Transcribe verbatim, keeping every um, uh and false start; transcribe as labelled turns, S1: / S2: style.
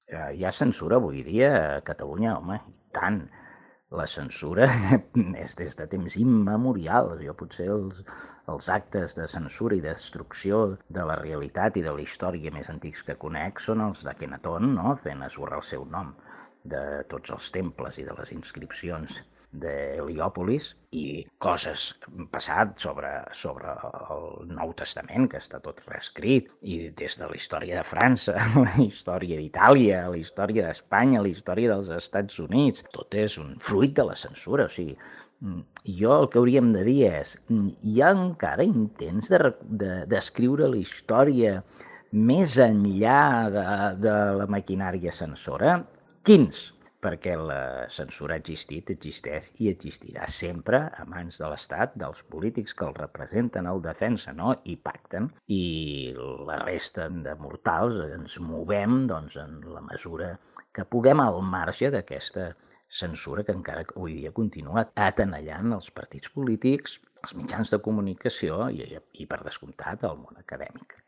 S1: Eh, hi ha censura avui dia a Catalunya, home, i tant. La censura és des de temps immemorials. Jo potser els, els actes de censura i destrucció de la realitat i de la història més antics que conec són els d'Akhenaton, no? Fent esborrar el seu nom de tots els temples i de les inscripcions de Heliòpolis i coses passat sobre, sobre el Nou Testament, que està tot reescrit, i des de la història de França, la història d'Itàlia, la història d'Espanya, la història dels Estats Units, tot és un fruit de la censura. O sigui, jo el que hauríem de dir és, hi ha encara intents de, de, d'escriure la història més enllà de, de la maquinària censora? Quins? Perquè la censura ha existit, existeix i existirà sempre a mans de l'Estat, dels polítics que el representen, el defensen, no? I pacten. I la resta de mortals ens movem doncs, en la mesura que puguem al marge d'aquesta censura que encara avui dia continua atenallant els partits polítics, els mitjans de comunicació i, i per descomptat, el món acadèmic.